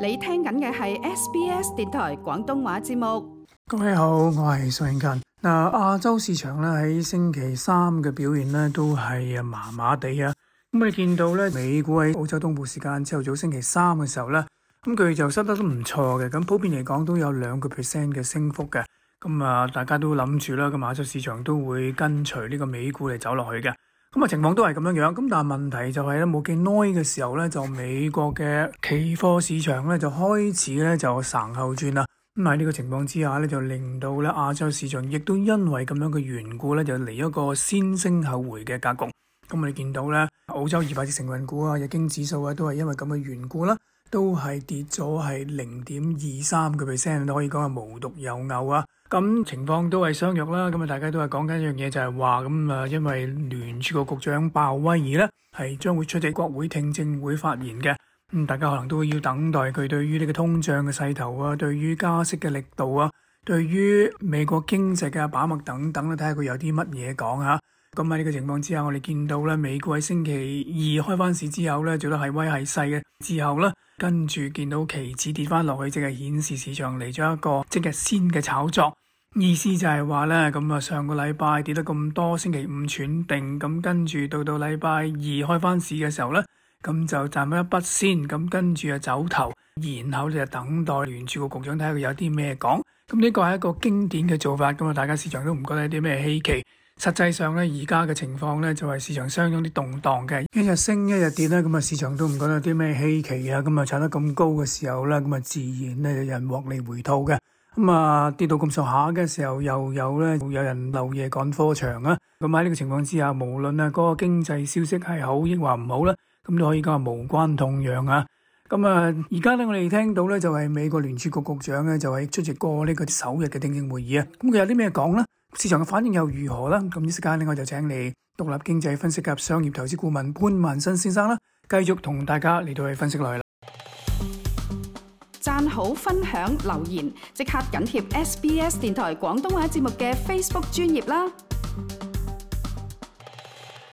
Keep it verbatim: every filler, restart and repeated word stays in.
你聽緊嘅係 S B S 電台廣東話節目。各位好，我係蘇永勤。嗱，亞洲市場咧喺星期三嘅表現咧都係麻麻地啊。咁你見到咧，美股喺澳洲東部時間朝頭早星期三嘅時候咧，咁佢就收得都唔錯嘅。咁普遍嚟講都有兩個 percent 嘅升幅嘅。咁啊，大家都諗住啦，咁亞洲市場都會跟隨呢個美股嚟走落去嘅。咁啊，情況都係咁樣樣。咁但係問題就係咧，冇幾耐嘅時候咧，就美國嘅期貨市場咧就開始咧就稍後轉啦。咁喺呢個情況之下咧，就令到咧亞洲市場亦都因為咁樣嘅緣故咧，就嚟一個先升後回嘅格局。咁我哋見到咧，澳洲二百隻成分股啊、日經指數啊，都係因為咁嘅緣故啦，都係跌咗係零點二三個 percent， 都可以講係無獨有偶啊。咁情況都係相若啦。咁啊，大家都係講緊一樣嘢，就係話咁啊，因為聯儲局局長鮑威爾咧係將會出席國會聽證會發言嘅。咁大家可能都要等待佢對於呢個通脹嘅勢頭啊，對於加息嘅力度啊，對於美國經濟嘅把握等等咧，睇下佢有啲乜嘢講嚇。咁喺呢個情況之下，我哋見到咧，美股喺星期二開翻市之後咧，做得係威係勢嘅之後咧，跟住見到期指跌翻落去，即係顯示市場嚟咗一個即日先嘅炒作。意思就係話咧，咁啊上個禮拜跌得咁多，星期五喘定，咁跟住到到禮拜二開翻市嘅時候咧，咁就賺咗一筆先，咁跟住啊走頭，然後就等待聯儲局局長睇下佢有啲咩講。咁呢個係一個經典嘅做法，咁啊大家市場都唔覺得有啲咩稀奇。實際上咧，而家嘅情況咧就係市場相當啲動盪嘅，一日升一日跌咧，咁啊市場都唔覺得有啲咩稀奇啊。咁啊炒得咁高嘅時候咧，咁啊自然咧有人獲利回吐嘅。咁啊跌到咁上下嘅時候，又有咧有人漏夜趕科場啊。咁喺呢個情況之下，無論啊嗰個經濟消息係好抑或唔好咧，咁都可以講係無關痛癢啊。咁啊而家咧我哋聽到咧就係美國聯儲局局長咧就係出席過呢個首日嘅聽證會議啊。咁佢有啲咩講咧？市場嘅反應又如何啦？咁呢時間咧我就請嚟獨立經濟分析及商業投資顧問潘萬新先生啦，繼續同大家嚟到去分析落去啦。讚好、分享、留言，即刻緊貼 S B S 電台廣東話節目嘅 Facebook 專頁啦！